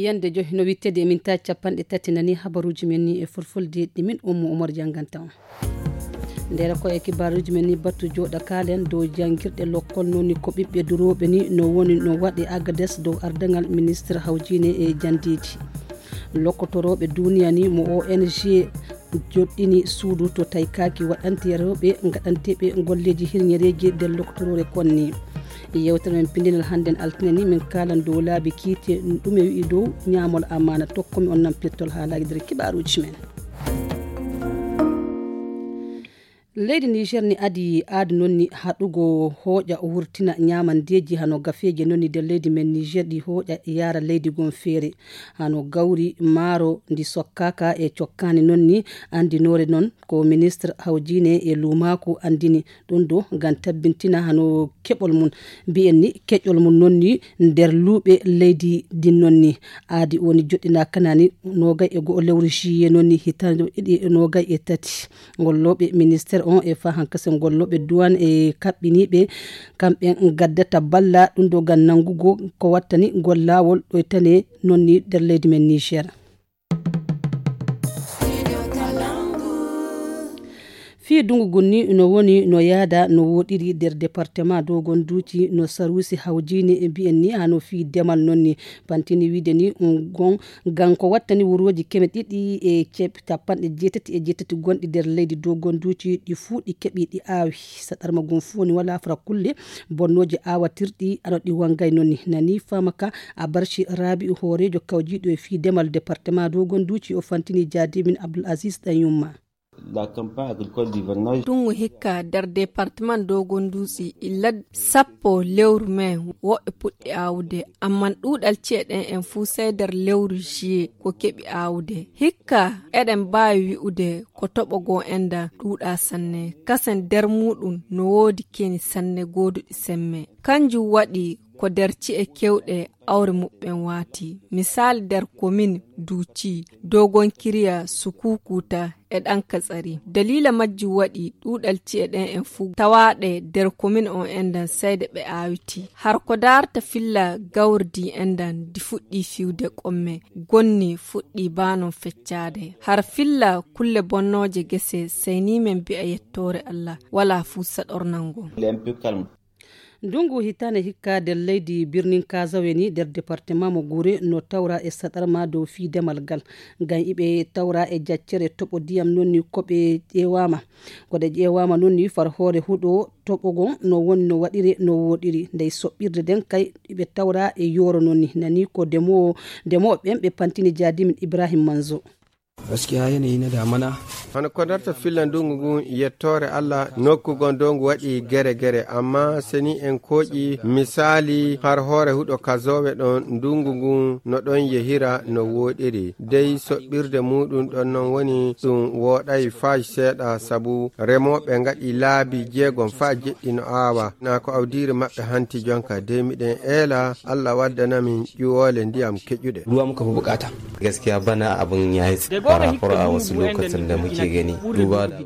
yande johi no wittede e minta capanɗe tati nani habaruji men ni e fulfulde ɗimin Oumar janganta on ndera ko e kibaruji men ni battu joɗa kalen dow jangirɗe lokkol noni ko ɓiɓɓe duroɓe ni no woni no waɗe Agades dow ardagal ministre hawjine e jandiji lokkotoroɓe duniya ni mo ONG joɗɗini suudu to taykaki waɗante rewɓe gaɗanteɓe golleji hirñereji nder lokkotorore konni yewtere men pindinal hannden altine ni min kalan dow laabi kiite ɗum e wi'i dow ñaamol amana tokkomi on nampirtol haalaji nder kibaruji men leydi Niger ni adi aadu nonni haɗugo hooƴa o wurtina ñamandeji hano gafeje nonni nder leydi men Niger ɗi hooƴa yaara leydi gon feere hano gawri maaro ndi sokkaka e cokkani nonni andinore non ko ministre hawjine e lumaku andini ɗum do ngam tabbintina hano keɓol mum mbi'en ni keƴol mum nonni nder luuɓe leydi din nonni aadi woni joɗɗina kanani nogay e go lewru juillet nonni hitande ɗiɗi nogay e tati golloɓe ministére on e fa hankase golloɓe douane e kaɓɓiniɓe kamɓe gaddata balla ɗum do gan nangugo ko wattani gol lawol ɗo tane nonni nder leydi men Niger fi dungu gunni no woni no yaada no wodiri der département dogon duuci no sarusi hawjini e bi'en ni hano fi demal nonni pantini wiide ni gon ganko wattani wuroji keme ɗiɗi e capanɗe jeetati gonɗi der leydi dogon duuci ɗi fuu ɗi keɓi ɗi aawi saɗarma gon fuu woni wala fara kulle bonnoji aawatirɗi ano ɗi wangay nonni nani famaka a barci rabi hoorejo kawjiɗo e fi demal département dogon duuci o fantini jaadimin Abdoul Aziz Danyumma la campagne agricole d'hivernage tungu hikka der département dogon dutse illa sappo lewru men woɓɓe puɗɗi awde amman ɗuɗal ceeɗen en fuu sey der lewru juillet ko keɓi awde hikka eɗen mbawi wi'ude ko toɓogo enda ɗuɗa sanne kasen der muɗum no woodi keni sanne goduɗi semme kanjum waɗi ko der ci'e kewɗe awre muɓɓen waati misali der commune duuci dogon kiriya sukukuta e ɗan katsari dalila majji waɗi ɗuɗal ci'e ɗen en fuu tawaɗe der commune on endan sayde ɓe awiti har ko darta filla gawrdi endan di fuɗɗi fiwde qomme gonni fuɗɗi banon feccade har filla kulle bonnoje gese sayni men bi'a yettore Allah wala fuu saɗornango dungu hitane hikka der leydi birnin Kazaweni der département mo Gure no tawra e saɗarma dow fi demal gal ngam iɓe tawra e jaccere toɓo diyam nonni koɓe ƴewama koɗe ƴewama nonni far hoore huɗo toɓogon no woni no waɗiri no woɗiri ndey soɓɓirde den kay iɓe tawra e yoro nonni nani ko demoɓe ɓen ɓe pantini jaadimin Ibrahim Manzo gaskiya yanayi na damana hono ko darta fillan dungu ngun yettore Allah nokkugon dongu waɗi gere amma seni en koƴi misali har hoore huɗo kazoɓe ɗon dungu ngun no ɗon yehira no woɗiri dey soɓɓirde muɗum ɗon non woni ɗum woɗay fa seeɗa sabu remoɓe ngaɗi laabi jeegom fa jeɗɗi no aawa na ko awdiri maɓɓe hanti jonka dey miɗen eela Allah waddanamin ƴuwole ndiyam keƴuɗe ruwa muka fi bukata gaskiya bana abin yayi par rapport a wasu lokacin da muke gani duba da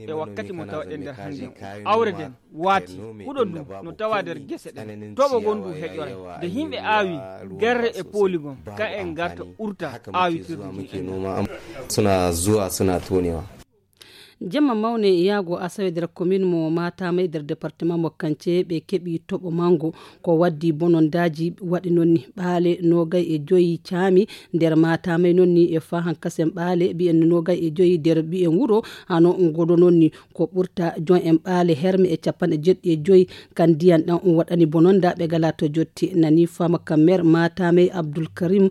e wakkati mo tawaɗen nder hannde awre den waati huɗo du no tawa nder gese ɗen toɓo gonɗu heƴore nde yimɓe aawi gerre e polygon ka en garta urta aawitirde suna zuwa suna tonewa jamma mawne yaago asawe nder commune mo Matamay nder département mo Kance ɓe keɓi toɓo mango ko waddi bonondaji waɗi nonni ɓaale nogay e joyi caami nder Matamay nonni e fa hankasen ɓaale ɓiyen nogay e joyi nder ɓiyen wuro hano goɗo nonni ko ɓurta jon en ɓaale herme e capanɗe jeɗɗi e joyi kan diyan ɗan waɗani bononda ɓe gala to jotti nani fama ka maire Matamay Abdoul Karim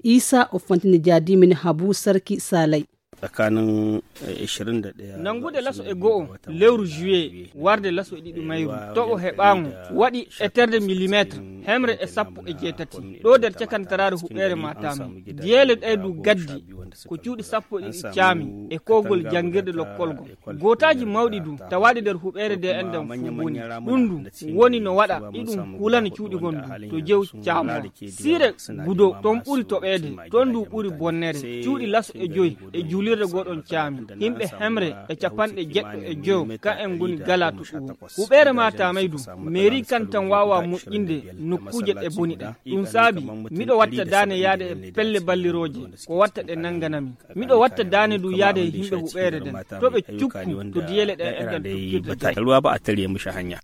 Isa o fantini jaadimin Habu Sarki Salay tsakanin 21 nangude laso e go'o lewru juillet warde laso e ɗiɗi mayru toɓo heɓango waɗi e terde millimétre hemre e sappo e jeetati ɗo nder cakantarare huɓɓere Matama jeele ɗaydu gaddi ko cuuɗi sappo e ɗiɗi caami e kogol jangirde lokkolgo gotaji mawɗi du tawaɗi nder huɓɓere de enɗen fu woni ɗum du woni no waɗa ɗiɗum hulana cuuɗi gondu to jew caamo sire gudo ton ɓuri toɓede ton du ɓuri bonnere cuuɗi laso e joyi e juuli julirde goɗon caami himɓe hemre e capanɗe jeɗɗo e jow ka en ngoni gala to ɗum huɓere mata maydu mairie kan tan wawa moƴƴinde nokkuje ɗe boni ɗe ɗum saabi miɗo watta dane yaade e pelle balliroje ko watta ɗe nanganami miɗo watta dane du yaade e himɓe huɓere den to ɓe cukku to diyele ɗe enɗan tukkirde ruwa ba a tare mishi hanya.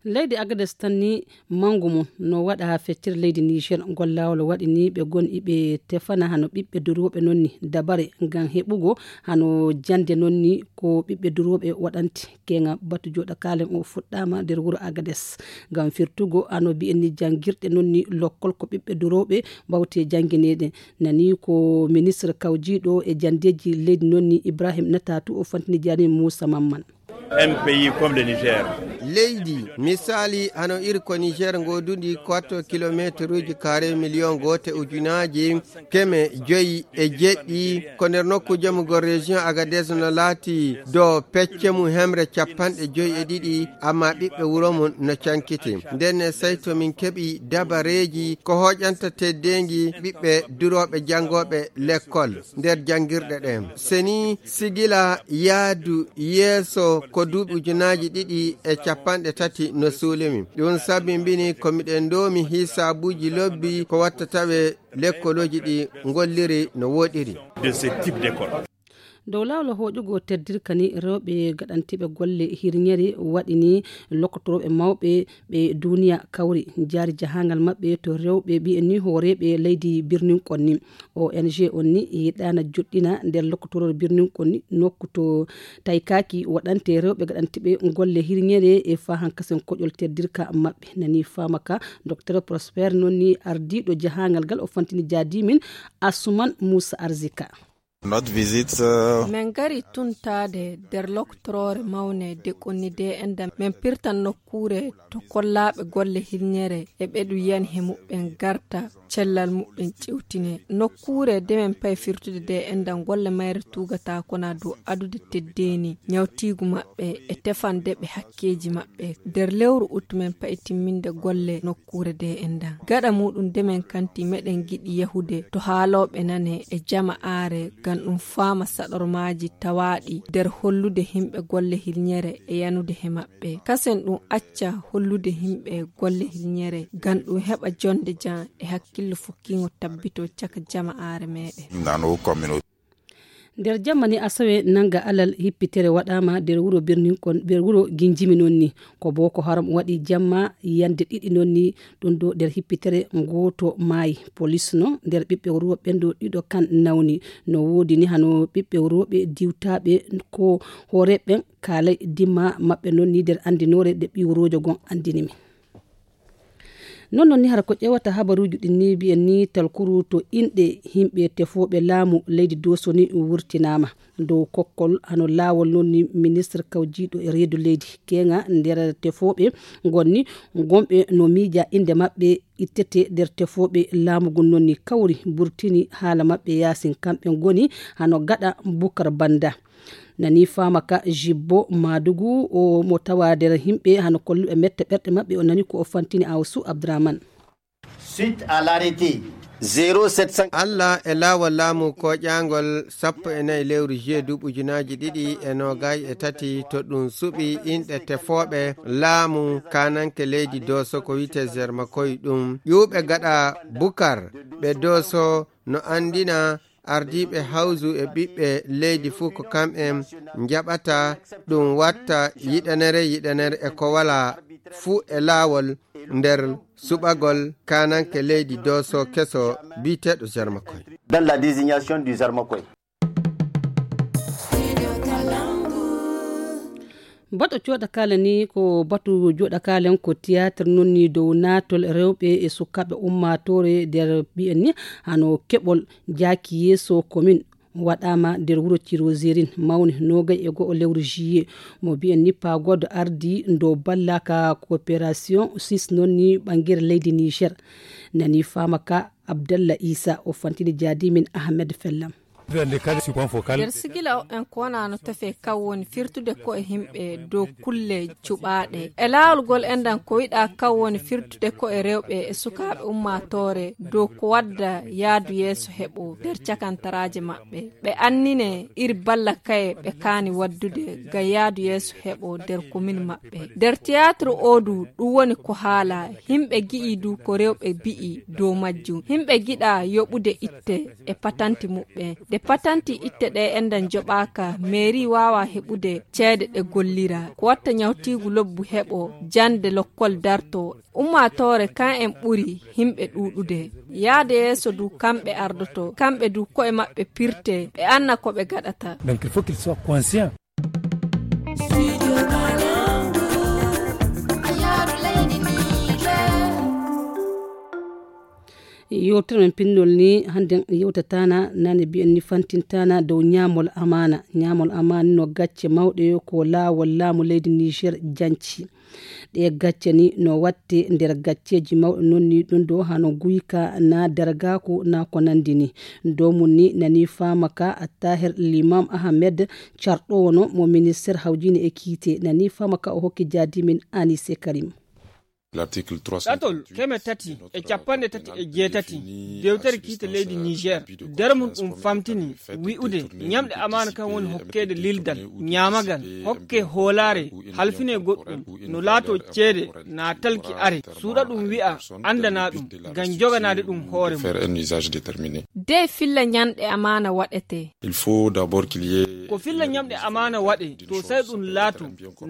leydi Agadez tan ni mangu mum no waɗa feccere leydi Niger ngol lawol waɗi ni ɓe gonɗi ɓe tefana hano ɓiɓɓe duroɓe nonni dabare ngam heɓugo hano jande nonni ko ɓiɓɓe duroɓe waɗanti kenga batu joɗa kalen o fuɗɗama nder wuro Agadez ngam firtugo hano bi'enni jangirɗe nonni lokkol ko ɓiɓɓe duroɓe bawte jangineɗe nani ko ministre kawjiɗo e jandeji leydi nonni Ibrahim Natatu o fantini jani Moussa Mamman. Un pays comme le Niger. Leydi misali hano iri ko Niger godudi 4 kilométre carré million gote ujunaji keme joyi e jeɗɗi ko nder nokku jamugo région Agadez no laati do pecce mu hemre capanɗe joyi e ɗiɗi amma ɓiɓɓe wuro mum no cankiti nden sayto min keɓi dabareji ko hoƴanta teddengi ɓiɓɓe duroɓe jangoɓe l'école nder jangirɗe ɗen seni sigila yaadu yeeso ko duuɓi ujunaji ɗiɗi e capanɗe tati no suulimi ɗum sabi mbini ko miɗen domi hisabuji lobbi ko wattataɓe l'écoloji ɗi golliri no woɗiri de ce type d'école. dow lawol hoƴugo teddirka ni rewɓe gaɗantiɓe golle hirñere waɗini lokkotoroɓe mawɓe ɓe duniya kawri jaari jahangal maɓɓe to rewɓe ɓi'enni hooreɓe leydi birnin konni ONG on ni yiɗana joɗɗina nder lokkotorore birnin konni nokku to taykaki waɗante rewɓe gaɗantiɓe golle hirñere e fa hankasen koƴol teddirka maɓɓe nani famaka docteur Prosper nonni ardiɗo jahangal gal o fantini jadimin Asuman Moussa Arzika. Notre visite men gari tuntade der loktorore mawne de konnide enda men pirtan nokkure to kollaɓe golle hirñere e ɓeɗu yan he muɓɓen garta cellal muɓɓen ciwtine nokkure de men pay firtude de endan golle mayre tugata kona dow adude teddeni nyawtigu maɓɓe e tefande ɓe hakkeji maɓɓe der lewru ut men pay timminde golle nokkure de endan gada muɗum de men kanti meɗen giɗi yahude to haaloɓe nane e jama'are gan ɗum fama saɗormaji tawaɗi nder hollude himɓe golle hirñere e yanude he maɓɓe kasen ɗum acca hollude himɓe golle hirñere gan ɗum heɓa jonde jan e hakkillo fukkingo tabbito caka jama'are meɗen nder jammani asawe nanga alal hippitere waɗama nder wuro birnin kon nder wuro ginjimi nonni ko Boko Haram waɗi jamma yande ɗiɗi nonni ɗum do nder hippitere goto maayi police no nder ɓiɓɓe worɓe ɗo ɗiɗo kan nawni no wodi ni hano ɓiɓɓe worɓe diwtaɓe ko horeɓe kaalay dimma maɓɓe nonni nder andinore de ɓiwrojo gon andinimi non ni har ko ƴewata habaruji ɗin ni bi'en ni talkuru to inɗe himɓe tefoɓe laamu leydi Doso ni wurtinama dow kokkol hano laawol non ni ministre kawjiɗo e reedu leydi kenga nder tefoɓe gonni gomɓe no miija inde maɓɓe ittete nder tefoɓe laamugo non ni kawri burtini haala maɓɓe yasin kamɓe goni hano gaɗa Bukar Banda nani famaka Jibbo Madugu o mo tawa nder himɓe hano kolluɓe metta ɓerɗe maɓɓe o nani ko o fantini Awsu Abdraman. Suite à l'arrêté 0700 Allah e laawol laamu koƴangol 14 lewru juillet ujunaji ɗiɗi e nogay e tati to ɗum suɓi inɗe tefoɓe laamu kananke leydi Doso ko wite Zermakoy ɗum ƴuɓe gaɗa Bukar ɓe Doso no andina ardiɓe hawsu e ɓiɓɓe leydi fuu ko kamɓe jaɓata ɗum watta yiɗanere e ko wala fuu e laawol nder suɓagol kananke leydi Doso keso biteɗo Zarmakoy. Dans la désignation du Zarmakoy. baɗo joɗa kala ni ko batu joɗa kalen ko théâtre nonni dow natol rewɓe e sukaɓe ummatore nder ɓi'en ni hano keɓol jaaki yeeso commune waɗama nder wuro Tirozérine mawni nogay e go'o lewru juillet mo bi'en ni pagodo ardi dow ballaka coopération suisse nonni ɓangere leydi Niger nani famaka Abdallah Issa o fantini jadimin Ahmed Fellam. nder sigila en konano tefe kawwoni firtude ko e himɓe dow kulle cuɓaɗe e laawol gol endan ko yiɗa kawwoni firtude ko e rewɓe e sukaɓe ummatore dow ko wadda yaadu yeeso heɓo nder cakantaraje maɓɓe ɓe annine iri balla kaye ɓe kaani waddude ga yaadu yeeso heɓo nder commune maɓɓe nder théâtre odu ɗum woni ko haala himɓe gi'i du ko rewɓe bi'i dow majjum himɓe giɗa yoɓude itte e patanti muɓɓe de patanti itte ɗe endan joɓaka mairie wawa heɓude ceede ɗe gollira ko watta nyawtigu lobbu heɓo jande lokkol darto ummatore kan en ɓuri himɓe ɗuɗude yaade yeeso du kamɓe ardoto kamɓe du koye maɓɓe pirte ɓe anna ko ɓe gaɗata. Donc il faut qu'il soit conscient. yewtere men pinnol ni hande yewtatana nane bi'en ni fantintana dow ñamol amana no gacce mawɗe ko laawol laamu leydi Niger janci ɗe gacce ni no watte nder gacceji mawɗe nonni ɗum ɗo hano guyka na dargaku na ko nandi ni dow mum ni nani famaka Tahir Limam Ahmed carɗo no mo ministére hawjini e kiite nani famaka o hokki jaadi min Anise Karim. ɗatol keme tati e capanɗe tati e jeetati dewtere kiite leydi Niger nder mum ɗum famtini wi'ude ñamɗe amana kan woni hokkede lildal ñamagal hokke hoolare halfine goɗɗum no laato ceede na talki are suuɗa ɗum wi'a andana ɗum ngam joganade ɗum hoore mum de filla ñamɗe amana waɗete ko filla ñamɗe amana waɗe to sai ɗum laato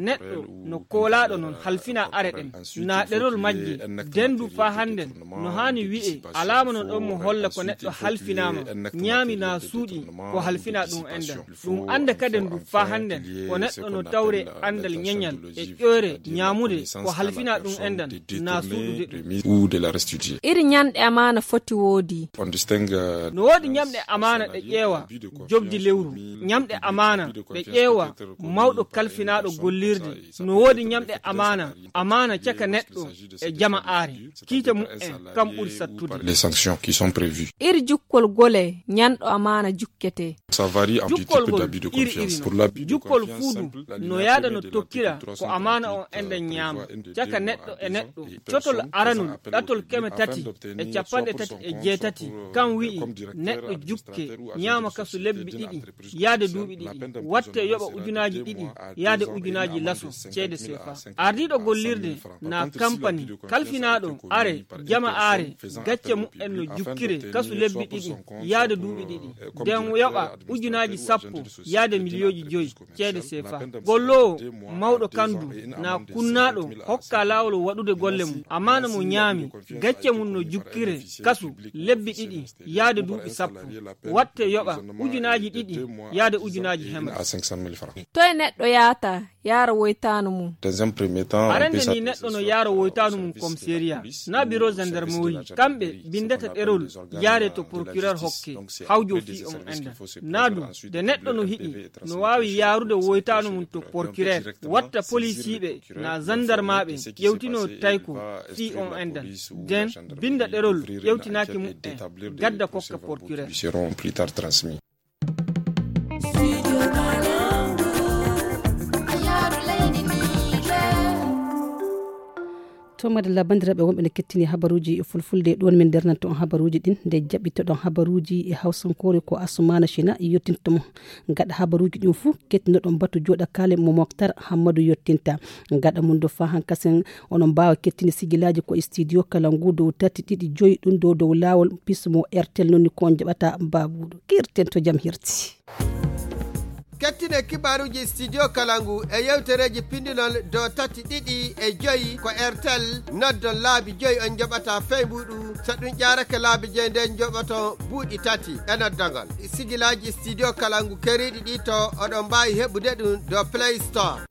neɗɗo no koolaɗo non halfina are ɗen na ɗerol majji dendu fa handen no hani wi'e alama non ɗon mo holla ko neɗɗo halfinama ñaami na suuɗi ko halfina ɗum endan ɗum anda kaden du fa handen ko neɗɗo no tawre andal ñeñal e ƴoore ñamude ko halfina ɗum endan na suuɗude ɗum iri ñamɗe amana foti woodi no woodi ñamɗe amana ɗe ƴeewa jobdi lewru ñamɗe amana ɗe ƴeewa mawɗo kalfinaɗo gollirde no woodi ñamɗe amana caka neɗɗo e jama aare kiite mu'en kam ɓuri sattude iri jukkol gole ñanɗo amana jukkete jukkol gol iri jukkol fuudu no yaada no tokkira ko amana on enden ñaama caka neɗɗo e neɗɗo cotol aranol ɗatol keme tati e capanɗe tati e jeetati kam wi'i neɗɗo jukke ñaama kasu lebbi ɗiɗi yaade duuɓi ɗiɗi watte yoɓa ujunaji ɗiɗi yaade ujunaji laso ceede sefa ardiɗo gollirde na kampani kalfinaɗo are jama are gacce mu'en no jukkire kasu lebbi ɗiɗi yaade duuɓi ɗiɗi nden yoɓa ujunaji sappo yaade miliyoji joyi ceede sefa gollowo mawɗo kandu na kunnaɗo hokka laawol waɗude golle mum amana mo ñaami gacce mum no jukkire kasu lebbi ɗiɗi yaade duuɓi sappo watte yoɓa ujunaji ɗiɗi yaade ujunaji hemre to e neɗɗo yaata yaara woytanu mum arende ni neɗɗo no yaara woytanu mum commissariat na bureau gendarmerie kamɓe bindata ɗerol yaare to procureur hokke hawjo fi on enda naadu de neɗɗo no hiɗi no wawi yaarude woytanu mum to procureur watta policiɓe na gendarmaɓe ƴewtino tayko fi on endan den binda ɗerol ƴewtinaki mu'en gadda kokka procureur to madalla bandiraɓe wonɓe ne kettini habaruji e fulfulde ɗon min ndernanto on habaruji ɗin nde jaɓɓitoɗon habaruji e hawsankore ko Assoumana China yettintomo gaɗa habaruji ɗin fuu kettinoɗon batu joɗa kale mo Moktar Hammadou yettinta gaɗa mum do fa hankasen onon mbawa kettini sigilaji ko e studio Kalangu dow 3 ɗum dow lawol pismo RTL nonni ko on jaɓata babuɗo kirten to jam hirti. kettine kibaruji studio Kalangu e yewtereji pindinol do 3 ko RTL noddon laabi 5 on joɓata feymuɗu so ɗum ƴarake laabi 5 nden joɓoto buuɗi 3 e noddogol sigilaji studio Kalangu keriɗi ɗi to oɗon mbawi heɓude ɗum do Play Store.